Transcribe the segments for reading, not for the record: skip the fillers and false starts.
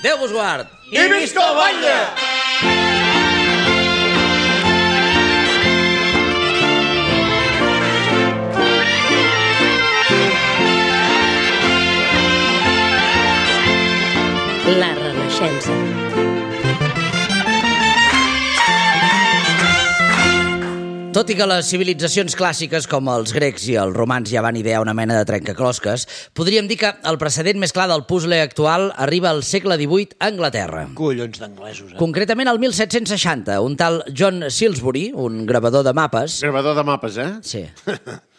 Déu vos guard! I visca el batlle! La Renaixença. Tot i que les civilitzacions clàssiques com els grecs i els romans ja van idear una mena de trencaclosques, podríem dir que el precedent més clar del puzzle actual arriba al segle XVIII a Anglaterra. Collons d'anglesos, Concretament al 1760, un tal John Silsbury, un gravador de mapes... Gravador de mapes, eh? Sí.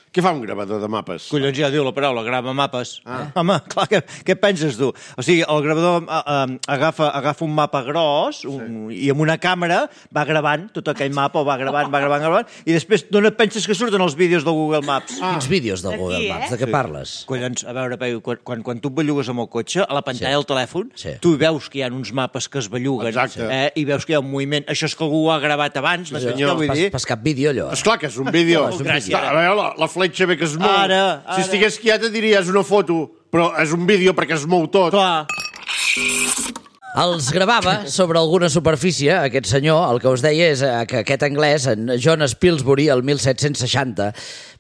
Què fa un gravador de mapes? Collons, ja diu la paraula, grava mapes. Home, clar, què penses tu? O sigui, el gravador agafa un mapa gros i amb una càmera va gravant tot aquell mapa, va gravant, i després d'on et penses que surten els vídeos del Google Maps? Quins vídeos del Google Maps? De què parles? Collons, a veure, Peu, quan tu et bellugues amb el cotxe, a la pantalla del telèfon, Sí. tu veus que hi ha uns mapes que es belluguen, i veus que hi ha un moviment. Això és que algú ho ha gravat abans, no sé què vull dir. Pas cap vídeo, allò. Esclar que és un vídeo. Gràcies. A veure, la fletxa bé que es mou. Ara. Si estigués quieta diries una foto, però és un vídeo perquè es mou tot. Clar. Els gravava sobre alguna superfície, aquest senyor, el que us deia és que aquest anglès, en John Spilsbury, el 1760,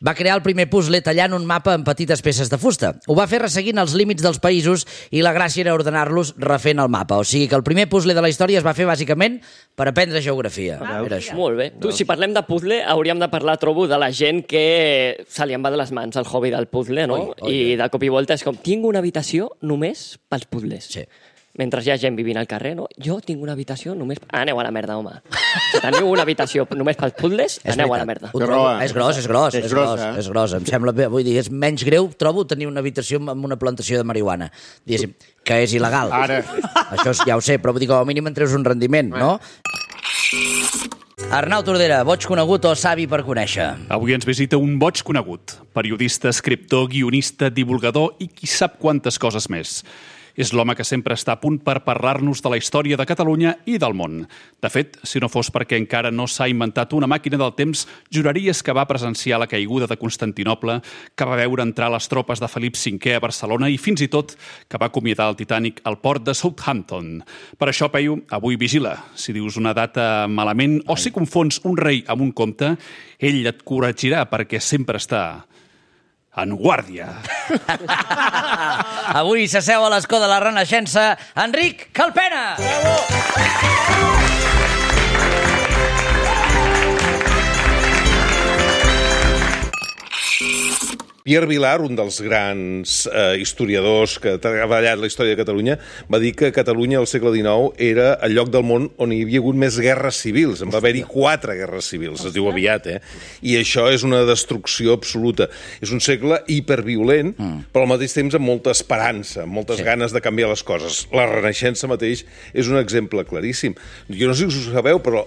va crear el primer puzzle tallant un mapa en petites peces de fusta. Ho va fer resseguint els límits dels països i la gràcia era ordenar-los refent el mapa. O sigui que el primer puzzle de la història es va fer bàsicament per aprendre geografia. Era això. Molt bé. Tu, si parlem de puzzle, hauríem de parlar, trobo, de la gent que se li en va de les mans el hobby del puzzle, no? I de cop i volta és com, tinc una habitació només pels puzzles. Sí. Mentre hi ha gent vivint al carrer, no? Jo tinc una habitació només... Aneu a la merda, home. Si teniu una habitació només pels puzzles, aneu a la merda. Ho trobo, és gros. eh? És gros. Em sembla bé. Vull dir, és menys greu, trobo, tenir una habitació amb una plantació de marihuana. Diguéssim, que és il·legal. Ara. Això ja ho sé, però vull dir, com a mínim en treus un rendiment, no? Arnau Tordera, boig conegut o savi per conèixer? Avui ens visita un boig conegut. Periodista, escriptor, guionista, divulgador i qui sap quantes coses més. És l'home que sempre està a punt per parlar-nos de la història de Catalunya i del món. De fet, si no fos perquè encara no s'ha inventat una màquina del temps, juraries que va presenciar la caiguda de Constantinoble, que va veure entrar les tropes de Felip V a Barcelona i fins i tot que va acomiadar el Titanic al port de Southampton. Per això, Peyu, avui vigila. Si dius una data malament o si confons un rei amb un comte, ell et corregirà perquè sempre està en guàrdia. Avui s'asseu a l'escó de la Renaixença Enric Calpena! Pierre Vilar, un dels grans historiadors que ha treballat la història de Catalunya, va dir que Catalunya al segle XIX era el lloc del món on hi havia hagut més guerres civils. En va haver-hi 4 guerres civils, es diu aviat, I això és una destrucció absoluta. És un segle hiperviolent, però al mateix temps amb molta esperança, amb moltes ganes de canviar les coses. La Renaixença mateix és un exemple claríssim. Jo no sé si ho sabeu, però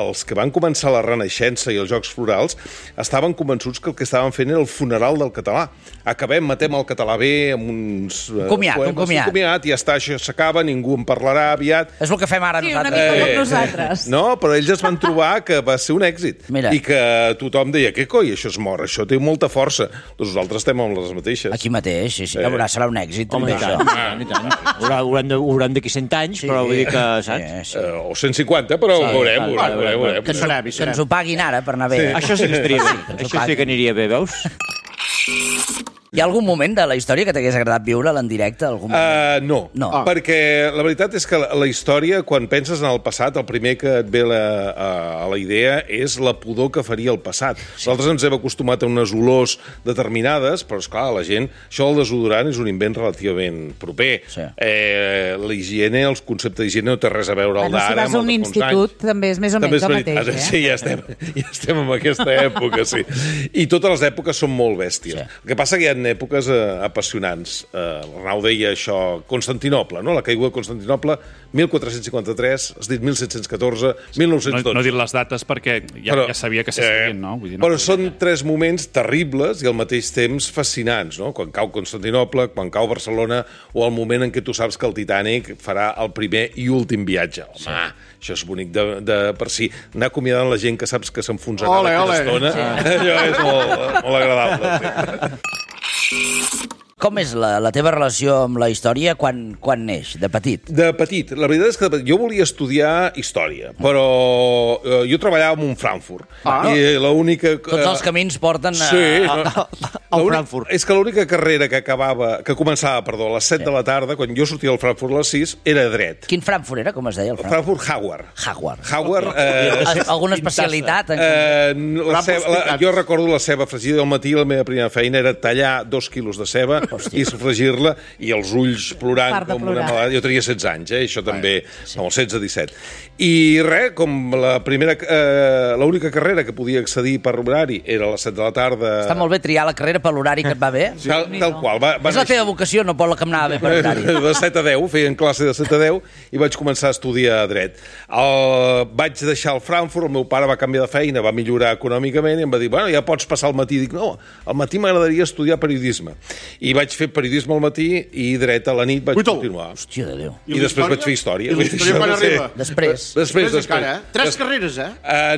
els que van començar la Renaixença i els Jocs Florals estaven convençuts que el que estaven fent era el funeral del català. Acabem, matem el català bé amb uns un comiat. I ja està, això s'acaba, ningú en parlarà aviat. És el que fem ara nosaltres. Sí, una mica com nosaltres. No, però ells es van trobar que va ser un èxit. Mira. I que tothom deia, què coi, això es mor, això té molta força. Doncs nosaltres estem amb les mateixes. Aquí mateix, sí. Serà un èxit, Home, també, i tant. Hauran d'aquí 100 anys, però vull dir que, saps? O 150, però ho veurem. Que ens ho paguin ara per anar bé. Això sí que estaria bé. Això sí que aniria bé, veus? Hi ha algun moment de la història que t'hagués agradat viure-la en directe? No, perquè la veritat és que la història, quan penses en el passat, el primer que et ve a la idea és la pudor que faria el passat. Nosaltres ens hem acostumat a unes olors determinades, però, esclar, la gent... Això del desodorant és un invent relativament proper. La higiene, el concepte d'higiene no té res a veure al d'ara. Si vas a un institut, també és més o menys el mateix. Sí, ja estem en aquesta època, sí. I totes les èpoques són molt bèsties. El que passa que hi ha èpoques apassionants. L'Arnau deia això, Constantinoble, no? La caiguda de Constantinople, 1453, has dit 1714, 1912. No he dit les dates perquè ja sabia que s'escrivien, no? Vull dir, però són 3 moments terribles i al mateix temps fascinants, no? Quan cau Constantinople, quan cau Barcelona, o el moment en què tu saps que el Titanic farà el primer i últim viatge. Home, això és bonic de per si. Anar acomiadant la gent que saps que s'enfonsarà d'aquesta estona, allò és molt agradable. Com és la teva relació amb la història quan neix, de petit? De petit. La veritat és que jo volia estudiar història, però jo treballava en un Frankfurt. I l'única... Tots els camins porten al Frankfurt. És que l'única carrera que començava, a les 7 de la tarda, quan jo sortia del Frankfurt a les 6, era dret. Quin Frankfurt era, com es deia? El Frankfurt Howard. Alguna especialitat? Jo recordo la ceba fregida al matí, la meva primera feina era tallar 2 quilos de ceba i sofregir-la i els ulls plorant com una malada. Jo tenia 16 anys, això també, amb els 16-17. I res, com l'única carrera que podia accedir per horari era a les 7 de la tarda... Està molt bé triar la carrera per l'horari que et va bé. Tal qual. És la teva vocació, no pot la que em anava bé per horari. De 7 a 10, feien classe de 7 a 10 i vaig començar a estudiar dret. Vaig deixar el Frankfurt, el meu pare va canviar de feina, va millorar econòmicament i em va dir, bueno, ja pots passar al matí. Dic, no, al matí m'agradaria estudiar periodisme. I vaig fer periodisme al matí i dret a la nit vaig continuar. Hòstia de Déu. I després vaig fer història. I la història quan arriba? Després encara, 3 carreres,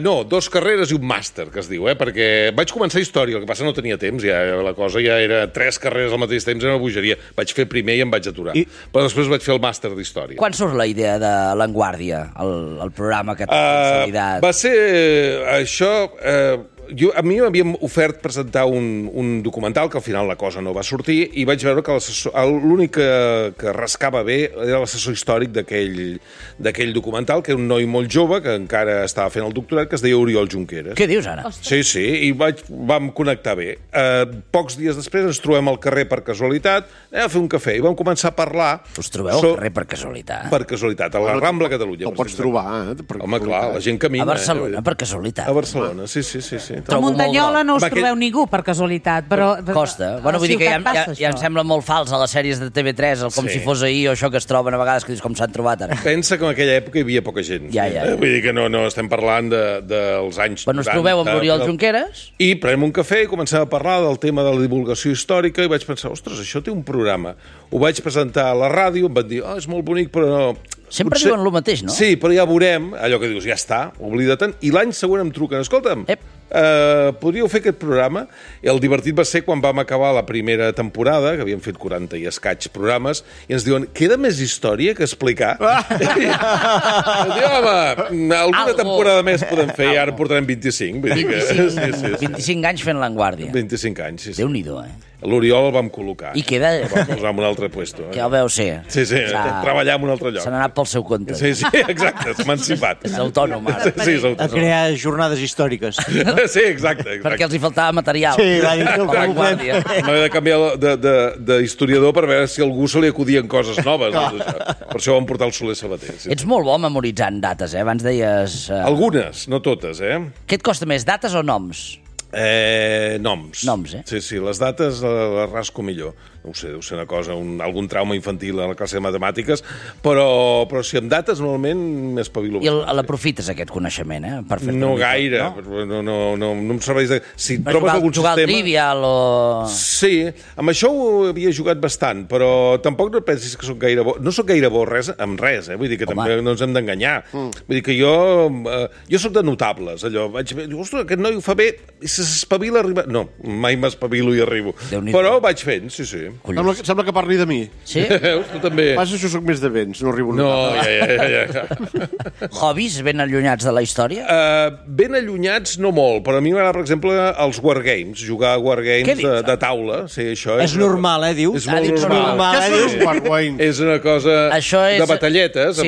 no, 2 carreres i un màster, que es diu, perquè vaig començar història, el que passa no tenia temps, ja la cosa ja era 3 carreres al mateix temps, era una bogeria. Vaig fer primer i em vaig aturar. Però després vaig fer el màster d'història. Quan surt la idea de L'Enguàrdia, el programa que t'ha consolidat? Va ser això... A mi m'havien ofert presentar un documental, que al final la cosa no va sortir, i vaig veure que l'únic que rascava bé era l'assessor històric d'aquell documental, que era un noi molt jove, que encara estava fent el doctorat, que es deia Oriol Junqueras. Què dius, ara? Sí, i vam connectar bé. Pocs dies després ens trobem al carrer per casualitat, a fer un cafè, i vam començar a parlar... Us trobeu al carrer per casualitat? Per casualitat, a la Rambla Catalunya. El pots trobar, Home, clar, la gent camina. A Barcelona, per casualitat. A Barcelona, sí. A Muntanyola no us trobeu ningú per casualitat, però... Costa. Bueno, vull dir que ja em sembla molt fals a les sèries de TV3, com si fos ahir o això que es troben a vegades, que dius com s'han trobat ara. Pensa que en aquella època hi havia poca gent. Ja. Vull dir que no estem parlant dels anys 90. Bueno, us trobeu amb l'Oriol Junqueras? I prenem un cafè i comencem a parlar del tema de la divulgació històrica i vaig pensar, ostres, això té un programa. Ho vaig presentar a la ràdio, em van dir, és molt bonic, però... Sempre diuen el mateix, no? Sí, però ja veurem, allò que dius, ja està, oblida-te'n, i l'any següent em truquen, escolta'm, podríeu fer aquest programa? I el divertit va ser quan vam acabar la primera temporada, que havíem fet 40 i escaig programes, i ens diuen, queda més història que explicar? Home, alguna temporada més podem fer, i ara portarem 25. 25 anys fent L'Enguàrdia. 25 anys, sí. Déu-n'hi-do, L'Oriol el vam col·locar. I queda... El vam posar en un altre puesto. Que el veu ser. Sí, treballar en un altre lloc. Se n'ha anat pel seu compte. Sí, exacte, s'ha emancipat. És autònom, ara. Sí, és autònom. A crear jornades històriques. Sí, exacte. Perquè els hi faltava material. Sí, va dir que L'Enguàrdia. M'havia de canviar d'historiador per veure si a algú se li acudien coses noves. Per això vam portar el Soler Sabater. Ets molt bo memoritzant dates, Abans deies... Algunes, no totes, Què et costa més, dates o noms? Noms. Noms, Sí, les dates les rasco millor. No ho sé, deu ser una cosa, algun trauma infantil a la classe de matemàtiques, però si amb dates normalment m'espavilo. I l'aprofites, aquest coneixement, per fer-te no gaire, no em serveix de... Si trobes algun jugar sistema... al Trivial o... Sí, amb això ho havia jugat bastant, però tampoc no pensis que soc gaire bo. No soc gaire bo amb res, vull dir que també no ens hem d'enganyar. Vull dir que jo soc de notables, allò. Vaig dir, ostres, aquest noi ho fa bé, i s'espavila, arriba... No, mai m'espavilo i arribo. Però vaig fent, sí. Sembla que parli de mi. Sí? Tu també. Passa, jo soc més de vents, no arribo. No, ja. Hobbies ben allunyats de la història? Ben allunyats no molt, però a mi m'agrada, per exemple, els wargames, jugar a wargames de taula. Sí, això és normal, dius? És molt normal. Què són els wargames? És una cosa de batalletes.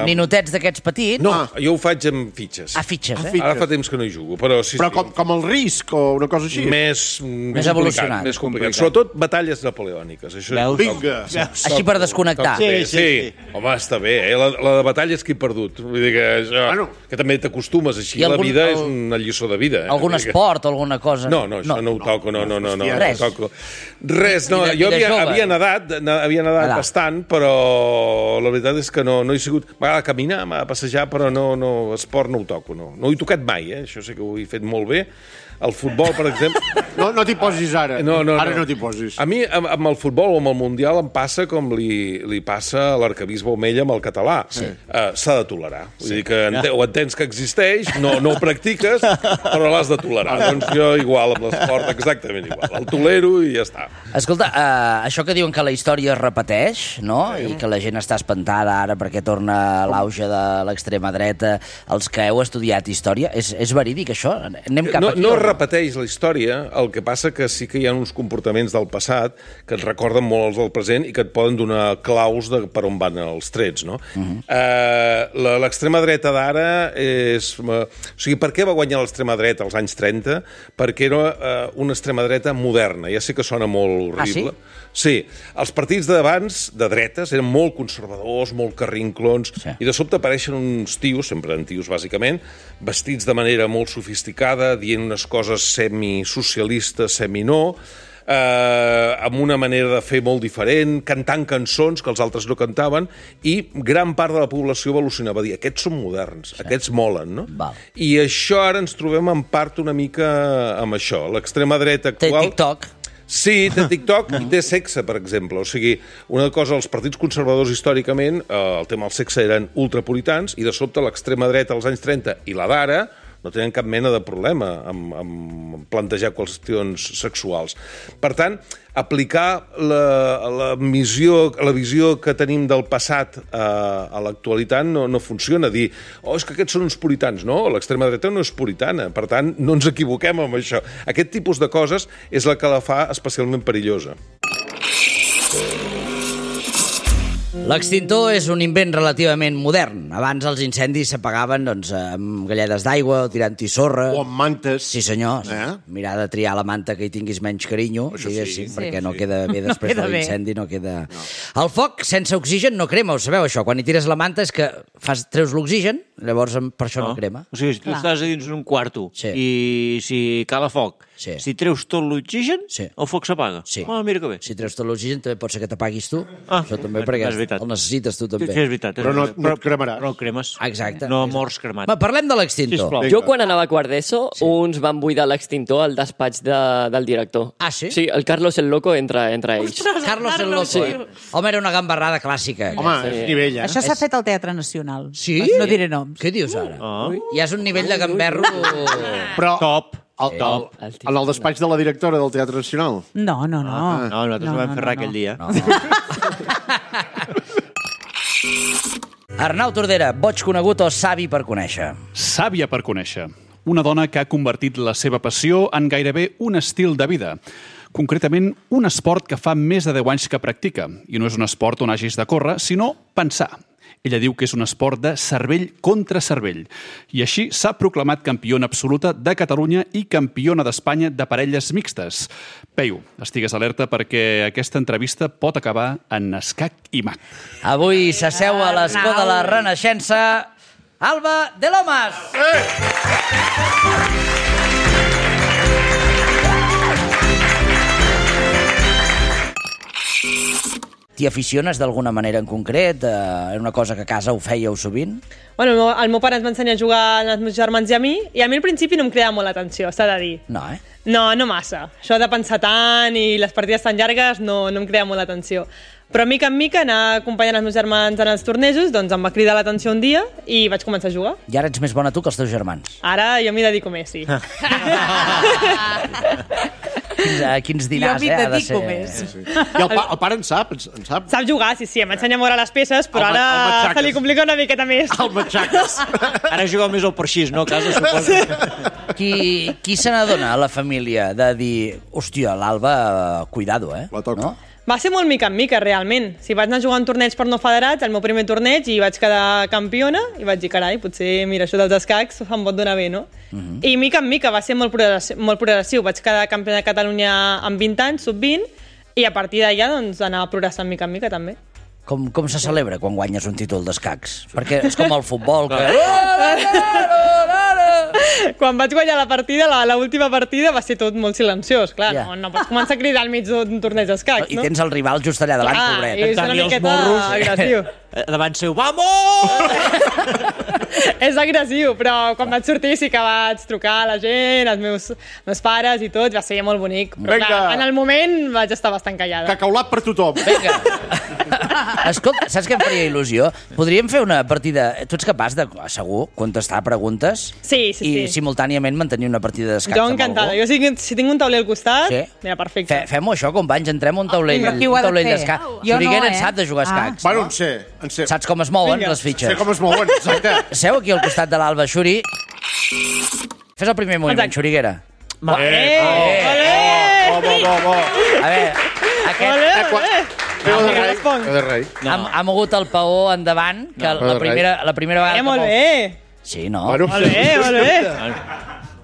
Ninotets d'aquests petits? No, jo ho faig amb fitxes. Fitxes, Ara fa temps que no hi jugo, però sí. Però com el risc o una cosa així? Més evolucionat. Més complicat. Sobretot batalles napoleòniques. Vinga. Així per desconnectar. Sí. Home, està bé, la de batalles que he perdut. Vull dir que això... Que també t'acostumes així. La vida és una lliçó de vida. Algun esport o alguna cosa? No, això no ho toco. No. Res, no. Jo havia nedat bastant, però la veritat és que no he sigut... M'agrada caminar, m'agrada passejar, però esport no ho toco. No ho he tocat mai, això sí que ho he fet molt bé. El futbol, per exemple... No t'hi posis ara. Ara no t'hi posis. A mi, amb el futbol o amb el Mundial, em passa com li passa a l'arcabisbe Omella amb el català. S'ha de tolerar. Vull dir que ho entens que existeix, no ho practiques, però l'has de tolerar. Doncs jo igual amb l'esport, exactament igual. El tolero i ja està. Escolta, això que diuen que la història es repeteix, no? I que la gent està espantada ara perquè torna l'auge de l'extrema dreta, els que heu estudiat història, és verídic això? Anem cap aquí? No es repeteix la història, el que passa que sí que hi ha uns comportaments del passat que et recorden molt els del present i que et poden donar claus de per on van els trets, no? L'extrema dreta d'ara és... O sigui, per què va guanyar l'extrema dreta als anys 30? Perquè era una extrema dreta moderna. Ja sé que sona molt horrible. Ah, sí? Sí. Els partits d'abans, de dretes, eren molt conservadors, molt carrinclons, i de sobte apareixen uns tios, sempre eren tios bàsicament, vestits de manera molt sofisticada, dient unes coses semi-socialistes, semi-no, amb una manera de fer molt diferent, cantant cançons que els altres no cantaven, i gran part de la població va al·lucinar, va dir, aquests són moderns, aquests molen, no? Val. I això ara ens trobem en part una mica amb això. L'extrema dreta actual... Té TikTok. Sí, té TikTok i té sexe, per exemple. O sigui, una cosa, els partits conservadors històricament, el tema del sexe eren ultrapuritans, i de sobte l'extrema dreta als anys 30 i la d'ara no tenen cap mena de problema amb plantejar qüestions sexuals. Per tant, aplicar la visió que tenim del passat a l'actualitat no funciona. Dir, és que aquests són uns puritans. No, l'extrema dreta no és puritana. Per tant, no ens equivoquem amb això. Aquest tipus de coses és la que la fa especialment perillosa. L'extintor és un invent relativament modern. Abans els incendis s'apagaven amb galledes d'aigua o tirant-hi sorra. O amb mantes. Sí, senyor. Mirar de triar la manta que hi tinguis menys carinyo, diguéssim, perquè no queda bé després de l'incendi. No queda... El foc sense oxigen no crema, ho sabeu, això? Quan hi tires la manta és que treus l'oxigen, llavors per això no crema. O sigui, si tu estàs a dins d'un quarto i si cala foc, si treus tot l'oxigen, el foc s'apaga. Mira que bé. Si treus tot l'oxigen també pot ser que t'apaguis tu. Això també perquè el necessites tu també. Sí, és veritat. Però no et cremaràs. No el cremes. Exacte. No mors cremat. Parlem de l'extintor. Jo quan anava a quart d'ESO, uns van buidar l'extintor al despatx del director. Ah, sí? Sí, el Carlos el Loco entre ells. Carlos el Loco. Home, era una gambarrada clàssica. Home, és nivell, Això s'ha fet al Teatre Nacional. Sí? No diré noms. Què dius ara? Ja és un nivell de gamberro... Però... Top. En el despatx de la directora del Teatre Nacional? No. No, nosaltres ho vam fer res aquell dia. Arnau Tordera, boig conegut o savi per conèixer? Sàvia per conèixer. Una dona que ha convertit la seva passió en gairebé un estil de vida. Concretament, un esport que fa més de 10 anys que practica. I no és un esport on hagis de córrer, sinó pensar. Ella diu que és un esport de cervell contra cervell. I així s'ha proclamat campiona absoluta de Catalunya i campiona d'Espanya de parelles mixtes. Peyu, estigues alerta perquè aquesta entrevista pot acabar en escac i mat. Avui s'asseu a l'escó de la Renaixença Alba de Lomas. T'hi aficiones d'alguna manera en concret? Era una cosa que a casa ho fèieu sovint? Bueno, el meu pare ens va ensenyar a jugar als meus germans i a mi al principi no em cridava molt l'atenció, s'ha de dir. No, No massa. Això de pensar tant i les partides tan llargues no em cridava molt l'atenció. Però mica en mica anar acompanyant els meus germans en els tornejos, doncs em va cridar l'atenció un dia i vaig començar a jugar. I ara ets més bona tu que els teus germans? Ara jo m'hi dedico més, sí. Quins dinars, jo m'hi dedico més. I el pare en sap? Sap jugar, sí, em va ensenyar a moure les peces, però ara se li complica una miqueta més. El matxaques. Ara jugueu més al parxís, no? A casa, suposo. Qui se n'adona a la família de dir, hòstia, l'Alba, cuidado, La toca. No? Va ser molt mica en mica, realment. Si vaig anar a jugar un torneig per no federats, el meu primer torneig, i vaig quedar campiona, i vaig dir, carai, potser, mira, això dels escacs em pot donar bé, no? I mica en mica va ser molt progressiu. Vaig quedar campiona de Catalunya amb 20 anys, sub-20, i a partir d'allà, doncs, anar progressant mica en mica, també. Com se celebra quan guanyes un títol d'escacs? Perquè és com el futbol, que... Quan vaig guanyar la partida, l'última partida, va ser tot molt silenciós, clar. No pots començar a cridar al mig d'un torneig d'escacs, no? I tens el rival just allà davant, pobret. I és una miqueta agressiu. Davant seu, vamos! És agressiu, però quan vaig sortir sí que vaig trucar a la gent, als meus pares i tot, va ser molt bonic. Però Vinga. clar, en el moment vaig estar bastant callada. Cacaulat per tothom. Vinga. Escolta, saps què em faria il·lusió? Podríem fer una partida... Tu ets capaç de, segur, contestar preguntes Sí. i simultàniament mantenir una partida d'escacs Jo amb encantada. algú? Jo si tinc un tauler al costat, Sí? mira, perfecte. Fem-ho això, companys, entrem a un taulell, Però qui ho ha un de taulell fer? d'escacs. Jo no, Xuriguera en sap de jugar a escacs. Bueno, no? en sé. Saps com es mouen Vinga. les fitxes? Sé com es mouen, exacte. Seu aquí al costat de l'Alba, Xuri. Fes el primer moviment, Exacte. Xuriguera. Olé! Bo. A veure, aquest Olé! Veu de rei. ha mogut el paó endavant, que la primera vegada... Molt bé! Sí, no? Bueno, Molt bé, molt bé!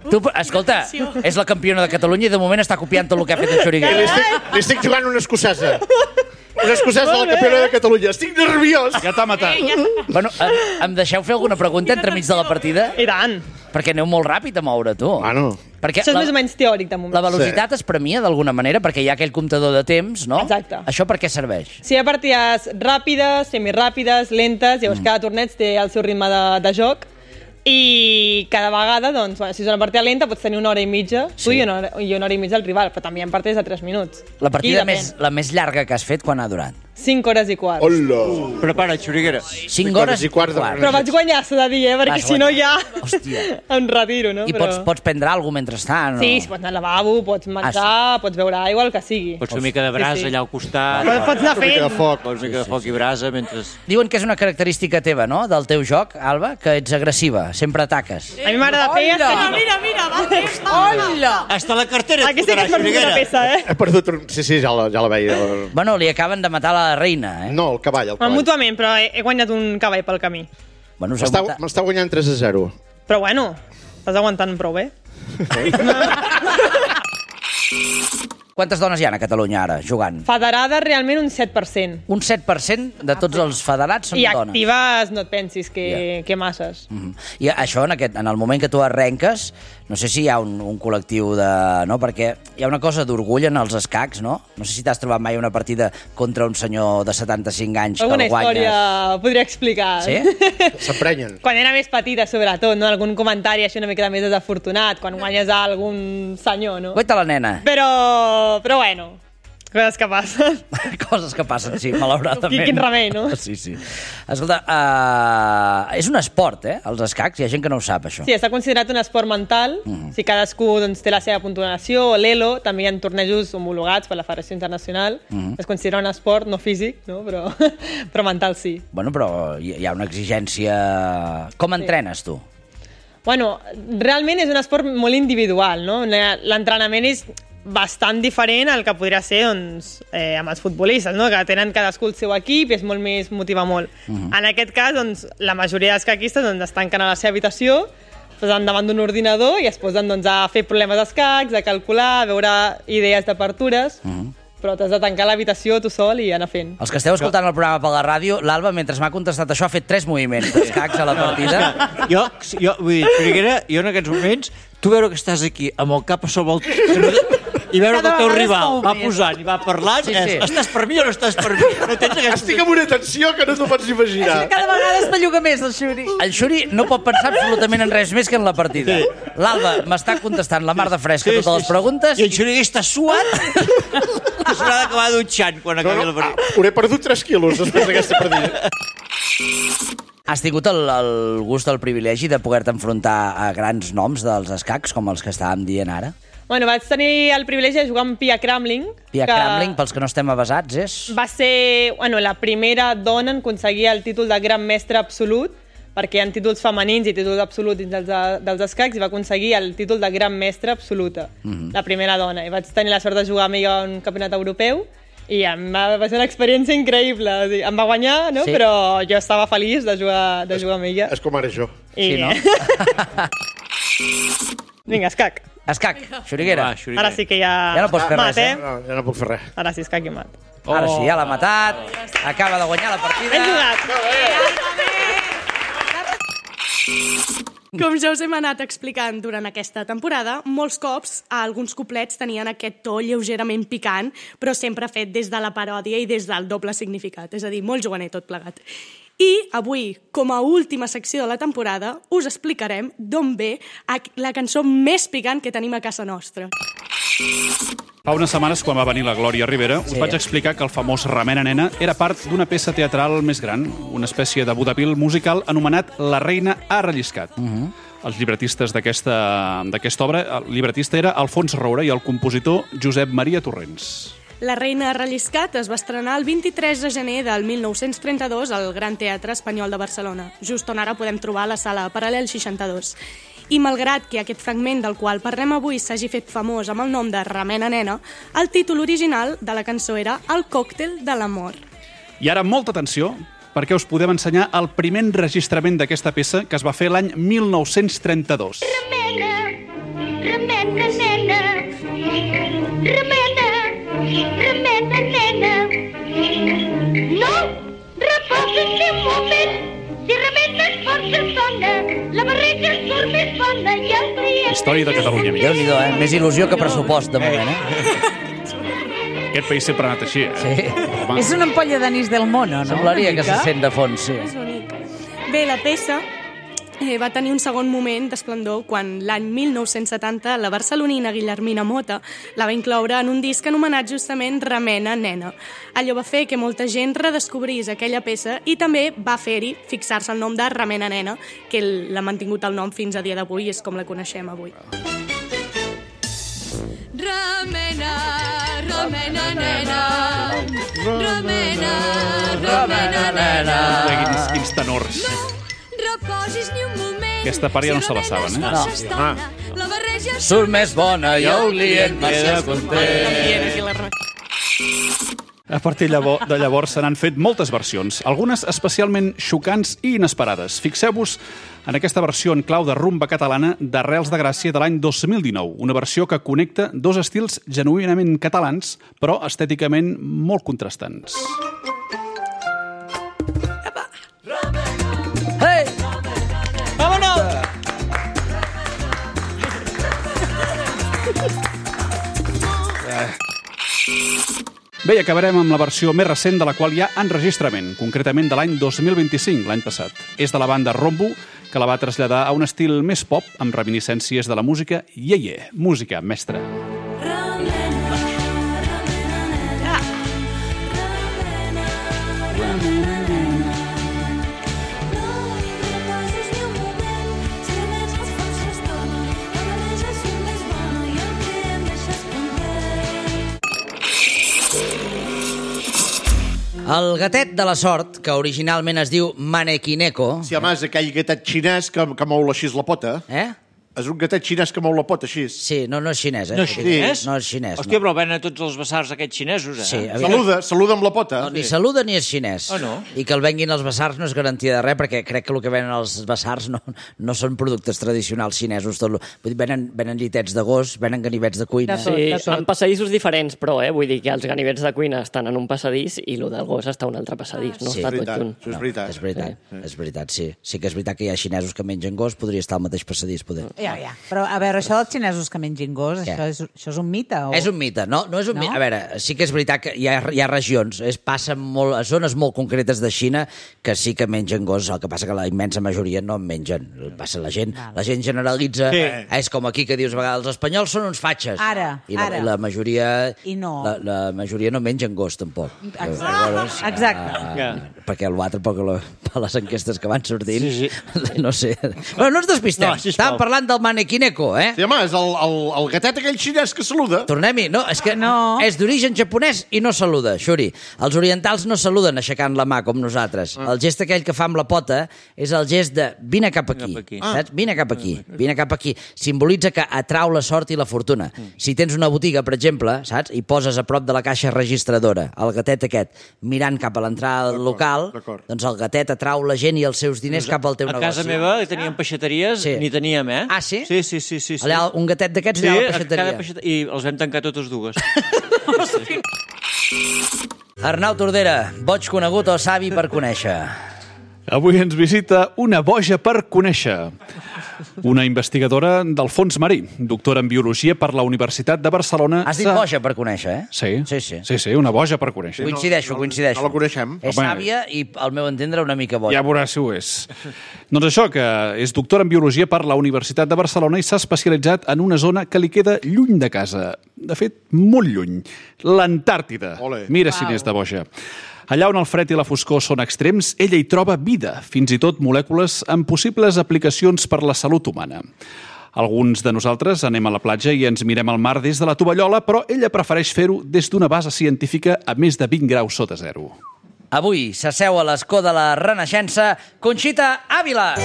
Tu, escolta, és la campiona de Catalunya i de moment està copiant tot el que ha fet en Xuriguera. li estic jugant una escocesa. Una escocesa de la campiona de Catalunya. Estic nerviós. Ja t'ha matat. Bueno, em deixeu fer alguna pregunta entremig de la partida? I tant! Perquè aneu molt ràpid a moure, tu. Bueno. Perquè Això és més o menys teòric, de moment. la velocitat es premia d'alguna manera, perquè hi ha aquell comptador de temps, no? Exacte. Això per què serveix? Si hi ha partides ràpides, semiràpides, lentes, llavors cada torneig té el seu ritme de joc i cada vegada, doncs, bueno, si és una partida lenta pots tenir una hora i mitja, tu i una hora i mitja al rival, però també hi ha partides de 3 minuts. La partida Aquí la més llarga que has fet, quan ha durat? 5 hores i quart. Hola. Prepara, Xuriguera. 5 hores i quart de Però vaig guanyar, s'ha de dir, perquè Vas si no ja Hòstia. em retiro, no? I pots prendre alguna cosa mentrestant? Sí, o... pots anar al lavabo, pots menjar, pots beure aigua, el que sigui. Pots fer una mica de brasa Sí, sí. allà al costat. Pots anar Una mica de fent. foc. Pots una mica de foc i brasa mentre... Diuen que és una característica teva, no?, del teu joc, Alba, que ets agressiva, sempre ataques. A mi m'agrada fer... Hola! Hasta la cartera et Aquesta sí que fotrà, és per una Xuriguera. peça, eh? He perdut un... Sí, ja la veia. Bueno, li acaben de matar la reina, eh? No, el cavall. Mútuament, però he guanyat un cavall pel camí. Bueno, us heu matat- M'està guanyant 3-0. Però bueno, estàs aguantant prou bé. Quantes dones hi ha a Catalunya ara, jugant? Federades, realment, un 7%. Un 7% de tots els federats són I dones. actives no et pensis que masses. I això, en el moment que tu arrenques, no sé si hi ha un col·lectiu de... No? Perquè hi ha una cosa d'orgull en els escacs, no? No sé si t'has trobat mai una partida contra un senyor de 75 anys Alguna que el guanyes. història podria explicar. Sí? S'emprenyen. Quan era més petita, sobretot, no? Algun comentari així una mica més desafortunat, quan guanyes a algun senyor, no? Guaita la nena. Però bueno, coses que passen. Coses que passen, sí, malauradament. Quin remei, no? Sí, sí. Escolta, és un esport, els escacs? Hi ha gent que no ho sap, això. Sí, està considerat un esport mental. Si cadascú doncs, té la seva puntuació, o l'ELO, també hi ha tornejos homologats per la Federació Internacional. Es considera un esport no físic, no? Però mental sí. Bueno, però hi ha una exigència... Com entrenes, tu? Bueno, realment és un esport molt individual, no? L'entrenament és bastant diferent al que podria ser doncs, amb els futbolistes, no? Que tenen cadascú el seu equip i és molt més, motiva molt. En aquest cas, doncs, la majoria dels caquistes doncs, es tanquen a la seva habitació, posen davant d'un ordinador i es posen doncs, a fer problemes d'escacs, a calcular, a veure idees d'apertures, però t'has de tancar l'habitació tu sol i anar fent. Els que esteu escoltant el programa per la ràdio, l'Alba, mentre m'ha contestat això, ha fet 3 moviments d'escacs a la partida. Jo, vull dir, Xuriguera, jo en aquests moments, tu veure que estàs aquí amb el cap a sobre el... I veure que el teu rival va posant i va parlant, estàs per mi o no estàs per mi? No tens aquesta... Estic amb una tensió que no t'ho pots imaginar. Cada vegada es belluga més, el Xuri. El Xuri no pot pensar absolutament en res més que en la partida. L'Alba m'està contestant la mar de fresca totes les preguntes. I en Xuriguera està suat que s'haurà d'acabar dutxant quan acabi la partida. Hauré perdut 3 quilos després d'aquesta partida. Has tingut el gust, el privilegi de poder-te enfrontar a grans noms dels escacs, com els que estàvem dient ara? Bueno, vaig tenir el privilegi de jugar amb Pia Kramling. Pia Kramling, pels que no estem avasats, és... Va ser la primera dona en aconseguir el títol de gran mestre absolut, perquè hi ha títols femenins i títols absoluts dins dels escacs, i va aconseguir el títol de gran mestre absoluta, la primera dona. I vaig tenir la sort de jugar amb ella a un campionat europeu, i va ser una experiència increïble. O sigui, em va guanyar, no? Sí. Però jo estava feliç de jugar amb ella. És com ara jo. Sí, no? Vinga, escac. Escac, Xuriguera. Ara sí que ja... Ja no pots fer mat, res, No, ja no puc fer res. Ara sí, escac i mat. Ara sí, ja l'ha matat. Acaba de guanyar la partida. Ben jugat. Com ja us hem anat explicant durant aquesta temporada, molts cops alguns couplets tenien aquest to lleugerament picant, però sempre fet des de la paròdia i des del doble significat, és a dir, molt juganer tot plegat. I avui, com a última secció de la temporada, us explicarem d'on ve la cançó més picant que tenim a casa nostra. Fa unes setmanes, quan va venir la Glòria Rivera, us vaig explicar que el famós Remena Nena era part d'una peça teatral més gran, una espècie de vodevil musical anomenat La reina ha relliscat. Els llibretistes d'aquesta obra, el llibretista era Alfons Roura i el compositor Josep Maria Torrents. La reina ha relliscat es va estrenar el 23 de gener del 1932 al Gran Teatre Espanyol de Barcelona, just on ara podem trobar la sala Paral·lel 62. I malgrat que aquest fragment del qual parlem avui s'hagi fet famós amb el nom de Remena Nena, el títol original de la cançó era El còctel de l'amor. I ara, molta atenció, perquè us podem ensenyar el primer enregistrament d'aquesta peça que es va fer l'any 1932. Remena, remena, nena, remena, remena, nena. No, reposa't un moment, si remenes força sona, la barreja surt més bona i el client... Història de Catalunya, amics. Déu-n'hi-do, Més il·lusió que pressupost, de moment, Aquest país sempre ha anat així, Sí. És una ampolla d'anís del mono, no? Semblaria que se sent de fons, sí. És bonic. Bé, la peça va tenir un segon moment d'esplendor quan l'any 1970 la barcelonina Guillermina Mota la va incloure en un disc anomenat justament Remena Nena. Allò va fer que molta gent redescobrís aquella peça i també va fer-hi fixar-se el nom de Remena Nena, que l'ha mantingut el nom fins a dia d'avui i és com la coneixem avui. Remena, remena, nena, remena, remena, nena. Quins tenors. Reposis ni un moment. Aquesta part ja no se la saben, La barreja Surt més bona i el client queda content. A partir de llavors se n'han fet moltes versions, algunes especialment xocants i inesperades. Fixeu-vos en aquesta versió en clau de rumba catalana d'Arrels de Gràcia de l'any 2019, una versió que connecta dos estils genuïnament catalans, però estèticament molt contrastants. Hey! Vámonos! Bé, i acabarem amb la versió més recent de la qual hi ha enregistrament, concretament de l'any 2025, l'any passat. És de la banda Rombo, que la va traslladar a un estil més pop, amb reminiscències de la música Yeye, música mestra. El gatet de la sort, que originalment es diu Manekineko... Sí, home, és aquell gatet xinès que mou així la pota. És un gatet xinès que mou la pota així. Sí, no és xinès, No és xinès? No és xinès, Hòstia, però venen tots els basars aquests xinesos, Sí, saluda amb la pota. No, ni saluda ni és xinès. no? I que el venguin els basars no és garantia de res, perquè crec que el que venen els basars no són productes tradicionals xinesos. Vull dir, venen llitets de gos, venen ganivets de cuina. Sí, en passadissos diferents, però, vull dir que els ganivets de cuina estan en un passadís i el del gos està en un altre passadís, no Sí, està tot junt. és veritat. És veritat, sí. Sí que és veritat que hi ha xinesos que mengen gos, podria estar al mateix passadís, poder. Ja. Però, a veure, això dels xinesos que mengin gos, això és un mite? O... És un mite, no és un mite. A veure, sí que és veritat que hi ha regions, passa molt, a zones molt concretes de Xina que sí que mengen gos, el que passa que la immensa majoria no en mengen. Passa la gent generalitza, és com aquí que dius a vegades, els espanyols són uns fatxes. I la majoria... I no. La majoria no mengen gos, tampoc. Exacte. Perquè l'altre, per les enquestes que van sortint, no sé. Però no ens despistem. Estàvem parlant del Manekineko, Sí, home, és el gatet aquell xinès que saluda. Tornem-hi. No, és que és d'origen japonès i no saluda, Xuri. Els orientals no saluden aixecant la mà com nosaltres. El gest aquell que fa amb la pota és el gest de vine cap aquí. Saps? Vine cap aquí. Vine cap aquí. Simbolitza que atrau la sort i la fortuna. Si tens una botiga, per exemple, saps? I poses a prop de la caixa registradora el gatet aquest mirant cap a l'entrada del local, doncs el gatet atrau la gent i els seus diners cap al teu negoci. A casa meva teníem peixateries, n'hi teníem, Ah, sí? Sí. Allà, un gatet d'aquests allà a la peixateria. I els vam tancar totes dues. Arnau Tordera, boig conegut o savi per conèixer? Avui ens visita una boja per conèixer. Una investigadora del fons marí, doctora en Biologia per la Universitat de Barcelona... Has dit boja per conèixer, eh? Sí, una boja per conèixer. Coincideixo. No la coneixem. És sàvia i, al meu entendre, una mica boja. Ja veuràs si ho és. Doncs això, que és doctora en Biologia per la Universitat de Barcelona i s'ha especialitzat en una zona que li queda lluny de casa. De fet, molt lluny. L'Antàrtida. Mira si n'és de boja. Allà on el fred i la foscor són extrems, ella hi troba vida, fins i tot molècules amb possibles aplicacions per la salut humana. Alguns de nosaltres anem a la platja i ens mirem al mar des de la tovallola, però ella prefereix fer-ho des d'una base científica a més de 20 graus sota zero. Avui s'asseu a l'escó de la Renaixença Conxita Ávila.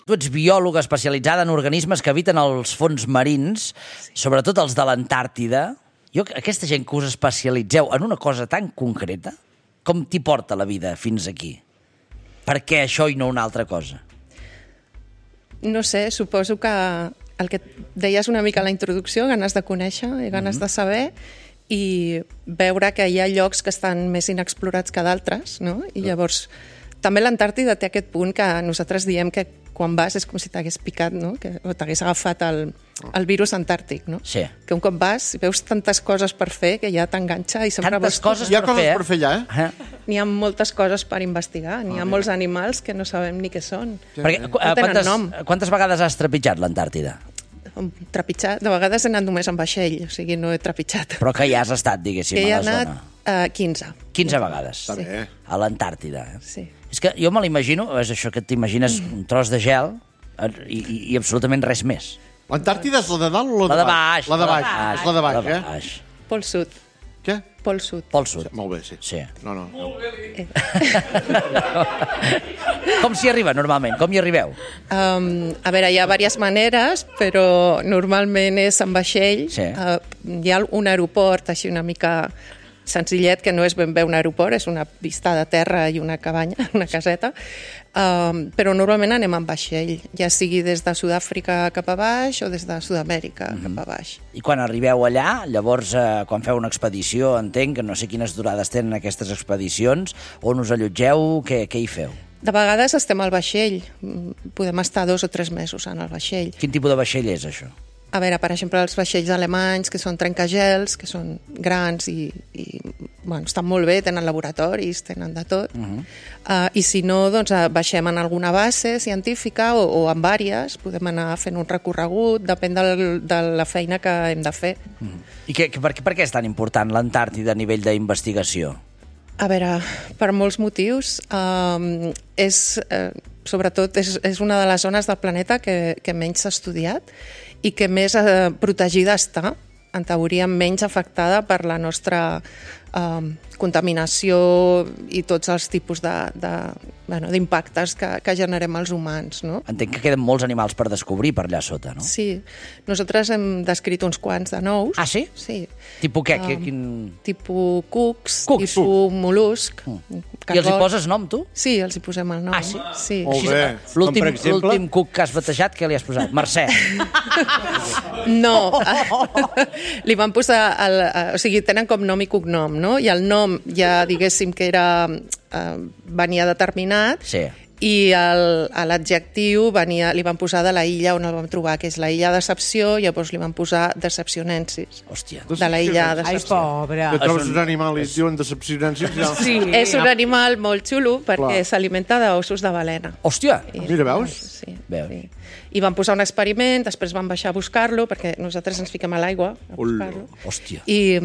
Tu ets biòloga especialitzada en organismes que habiten els fons marins, sobretot els de l'Antàrtida. Aquesta gent que us especialitzeu en una cosa tan concreta, com t'hi porta la vida fins aquí? Per què això i no una altra cosa? No sé, suposo que el que deies una mica a la introducció, ganes de conèixer i ganes de saber, i veure que hi ha llocs que estan més inexplorats que d'altres, no? I llavors, també l'Antàrtida té aquest punt que nosaltres diem que quan vas és com si t'hagués picat, no? O t'hagués agafat el virus antàrtic, no? Sí. Que un cop vas i veus tantes coses per fer que ja t'enganxa i sempre tantes coses hi ha coses per fer allà, eh? N'hi ha moltes coses per investigar. N'hi ha molts animals que no sabem ni què són. Perquè, quantes vegades has trepitjat l'Antàrtida? Trepitjat? De vegades he anat només en vaixell, o sigui, no he trepitjat. Però que ja has estat, diguéssim, a la zona. He anat 15. 15 vegades. Sí. A l'Antàrtida. Sí. És que jo me l'imagino, és això que t'imagines un tros de gel i absolutament res més. L'Antàrtida és la de dalt o la de baix? La de baix. És la de baix, eh? Pol Sud. Què? Pol Sud. Pol Sud. Molt bé, sí. No. Com s'hi arriba, normalment? Com hi arribeu? A veure, hi ha diverses maneres, però normalment és en vaixell. Sí. Hi ha un aeroport així una mica senzillet, que no és ben bé un aeroport, és una vista de terra i una cabanya, una caseta, però normalment anem en vaixell, ja sigui des de Sud-àfrica cap a baix o des de Sud-amèrica cap a baix. I quan arribeu allà, llavors, quan feu una expedició, entenc que no sé quines durades tenen aquestes expedicions, on us allotgeu, què hi feu? De vegades estem al vaixell, podem estar 2 o 3 mesos en el vaixell. Quin tipus de vaixell és, això? A veure, per exemple, els vaixells alemanys, que són trencagels, que són grans i bueno, estan molt bé, tenen laboratoris, tenen de tot. I si no, doncs baixem en alguna base científica o en vàries, podem anar fent un recorregut, depèn de la feina que hem de fer. I per què és tan important l'Antàrtida a nivell d'investigació? A veure, per molts motius. Sobretot és una de les zones del planeta que menys s'ha estudiat i que més protegida està, en teoria menys afectada per la nostra contaminació i tots els tipus d'impactes que generem els humans. No? Entenc que queden molts animals per descobrir per allà sota, no? Sí. Nosaltres hem descrit uns quants de nous. Ah, sí? Sí. Tipus què? Tipus cucs, tipus mol·lusc. I els hi poses nom, tu? Sí, els hi posem el nom. Ah, sí? Sí. Molt bé. L'últim cuc que has batejat, què li has posat? Mercè. No. Li van posar... O sigui, tenen com nom i cognom, no? I el nom ja diguéssim que venia determinat. Sí. I l'adjectiu li van posar de la illa on el vam trobar, que és la illa Decepció, llavors li van posar Decepcionensis. Hòstia. De la illa Decepció. Ai, pobre. Que trobes un animal i et diuen Decepcionensis. Sí. És un animal molt xulo perquè s'alimenta d'ossos de balena. Hòstia. Mira, veus? Sí. I van posar un experiment, després van baixar a buscar-lo, perquè nosaltres ens fiquem a l'aigua a buscar-lo. Hòstia. I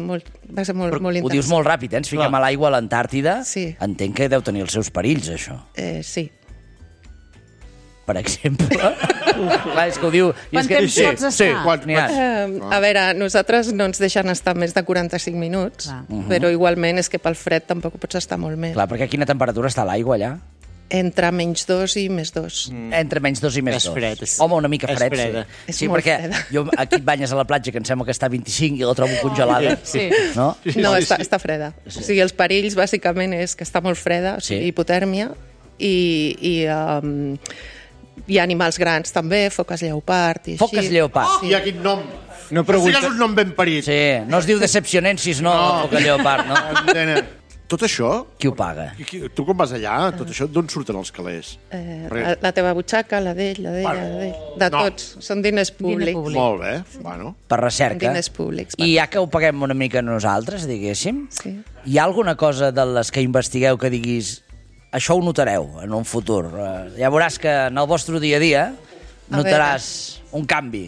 va ser molt interessant. Ho dius molt ràpid, Ens fiquem a l'aigua a l'Antàrtida. Sí. Entenc que deu tenir els seus perills, això. Sí. Per exemple. Clar, és que ho diu... Quant temps pots estar? A veure, nosaltres no ens deixen estar més de 45 minuts, però igualment és que pel fred tampoc pots estar molt més. Clar, perquè a quina temperatura està l'aigua allà? Entre -2 i +2. Entre -2 i +2. És fred. Home, una mica fred, freda. sí. Sí, perquè jo aquí et banyes a la platja, que em sembla que està a 25 i la trobo congelada. Sí. No? No, està freda. O sigui, els perills, bàsicament, és que està molt freda, o sigui, hipotèrmia, i Hi ha animals grans també, foques lleopard i així. Foques lleopard. I quin nom. No pregunta... és un nom ben parit. Sí, no es diu Decepcionensis, no, foca lleopard, no? Tot això... Qui ho paga? Tu quan vas allà, tot això, d'on surten els calés? La teva butxaca, la d'ell, la d'ell. De tots. Són diners públics. Molt bé. Bueno. Per recerca. Diners públics. I ja que ho paguem una mica nosaltres, diguéssim, sí. Hi ha alguna cosa de les que investigueu que diguis això ho notareu en un futur? Ja veuràs que en el vostre dia a dia notaràs un canvi.